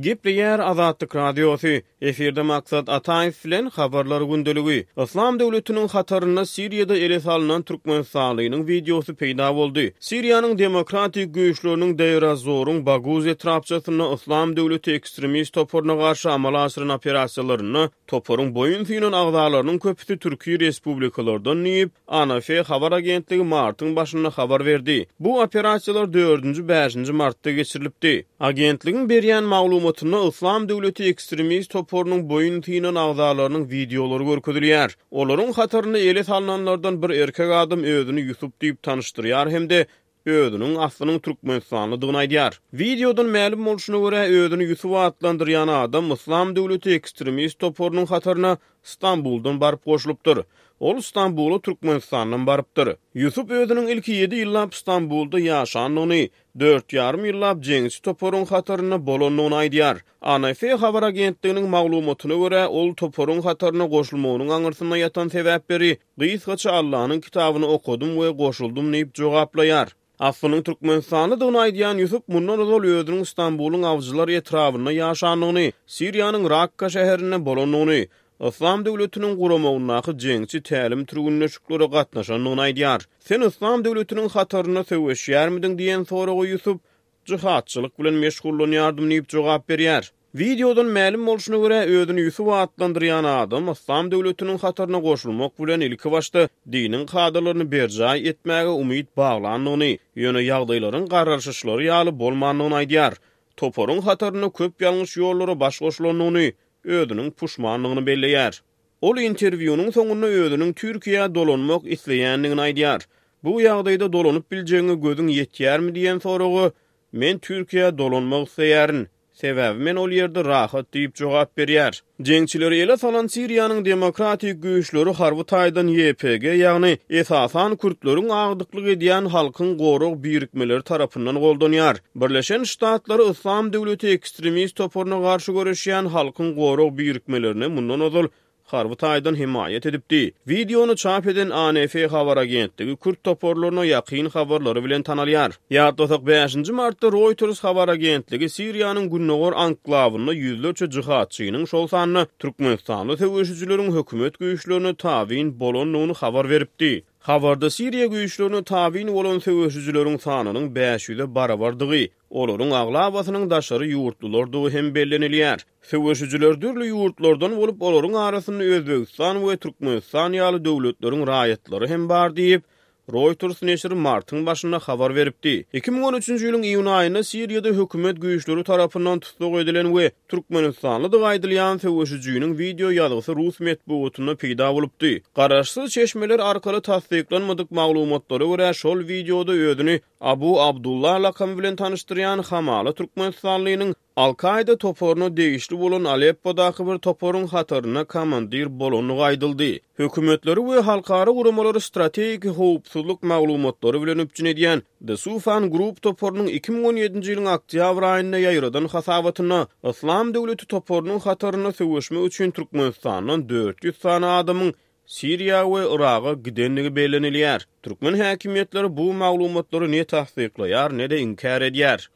Gepleýär Azatlyk Radiosy, Efirde Maksat Ataýew bilen Habarlar gündeligi. Yslam döwletiniň hatarynda Siriýada ele salnan türkmenistanlynyň wideosy peýda boldy. Siriýanyň demokratik güýçleriniň Deir-ez-Zoruň Baguz etrapçasynda Yslam döwleti ekstremist toparyna garşy amala aşyran operasiýalarynda toparyň boýun synan agzalarynyň köpüsi türki respublikalardan diýip, ANF habar agentligi martyň başynda habar berdi. Bu operasiýalar dördünji, bäşinji martda geçirilipdi. Agentligiň berýän maglumatynda Yslam döwleti ekstremist toparynyň boýun synan agzalarynyň wideolary görkezilýär. Olaryň hatarynda ele salnanlardan bir erkek adam özüni Ýusup diýip tanyşdyrýar hem-de özüniň aslynyň türkmenistanlydygyny aýdýar. Wideodan mälim bolşuna görä, özüni Ýusup atlandyrýan adam Yslam döwleti ekstremist toparynyň hataryna Stambuldan baryp goşulypdyr. Ol Stambula Türkmenistandan barypdyr. Ýusup özüniň ilki ýedi ýyllap Stambulda ýaşandygyny, dört ýarym ýyllap jeňçi toparyň hatarynda bolandygyny aýdýar. ANF habar agentliginiň maglumatyna görä, ol toparyň hataryna goşulmagynyň aňyrsynda ýatan sebäpleri gysgaça Allanyň kitabyny okadym we goşuldym diýip jogaplaýar. Aslynyň türkmenistanlydygyny aýdýan Ýusup mundan ozal özüniň Stambulyň Awjylar etrabynda ýaşandygyny, Siriýanyň Rakka şäherinde bolandygyny, Yslam döwletiniň guramagyndaky jeňçi tälim-türgünleşiklere gatnaşandygyny aýdýar. Sen Yslam döwletiniň hatarynda söweşýärmidiň diýen soraga Ýusup, Jyhatçylyk bilen meşgullanýardym diýip jogap berýär. Wideodan mälim bolşuna görä, özüni Ýusup atlandyrýan adam Yslam döwletiniň hataryna goşulmak bilen ilkibaşda diniň kadalaryny berjaý etmäge umyt baglandygyny, ýöne ýagdaýlaryň garaşyşlary ýaly bolmandygyny aýdýar. Toparyň hatarynda köp ýalňyş ýollara baş goşulandygyny, özüniň puşmandygyny belleýär. Ol interwýunyň soňunda özüniň Türkiýä dolanmak isleýändigini aýdýar. Bu ýagdaýda dolanyp biljegiňe gözüň ýetýärmi diýen soraga, Men Türkiýä dolanmak isleýärin. Sebäbi men ol ýerde rahat diýip jogap berýär. Jeňçileri ele salan Siriýanyň demokratik güýçleri harby taýdan YPG, ýagny esasan kürtleriň agdyklyk edýän Halkyň gorag birikmeleri tarapyndan goldanýar. Birleşen Ştatlary Yslam döwleti ekstremist toparyna garşy göreşýän Halkyň gorag birikmelerine mundan ozal harby taýdan hemaýat edipdi. Wideony çap eden ANF habar agentligi kürt toparlaryna ýakyn habarlary bilen tanalýar. Ýatlasak, bäşinji martda Reuters habar agentligi Siriýanyň gündogar anklawynda ýüzlerçe jihadçynyň, şol sanda türkmenistanly söweşijileriň hökümet güýçlerine tabyn bolandygyny habar beripdi. Habarda Siriýa güýçlerine tabyn bolan söweşijileriň sanynyň 500-e barabardygy, olaryň aglabasynyň daşary ýurtlulardygy hem bellenilýär. Söweşijiler dürli ýurtlardan bolup, olaryň arasynda Özbegistan we Türkmenistan ýaly döwletleriň raýatlary hem bar diýip, Reuters neşiri martyň başynda habar beripdi. 2013-nji ýylyň iýun aýynda Siriýada hökümet güýçleri tarapyndan tussag edilen we türkmenistanlydygy aýdylýan söweşijiniň wideo ýazgysy rus metbugatynda peýda bolupdy. Garaşsyz çeşmeler arkaly tassyklanmadyk maglumatlara görä, şol wideoda özüni Abu Abdullah lakamy bilen tanyşdyrýan hamala türkmenistanlynyň Al-Kaýda toparyna degişli bolan Aleppodaky bir toparyň hatarynda komandir bolandygy aýdyldy. Hökümetleri we halkara guramalary strategik howpsuzlyk maglumatlary bilen üpjün edýän The Soufan Group toparynyň 2017-nji ýylyň oktýabr aýynda ýaýradan hasabatynda Yslam döwleti toparynyň hatarynda söweşmek üçin Türkmenistandan 400 sany adamyň Siriýa we Yraga gidendigi bellenilýär. Türkmen häkimiýetleri bu maglumatlary ne tassyklaýar, ne-de inkär edýär.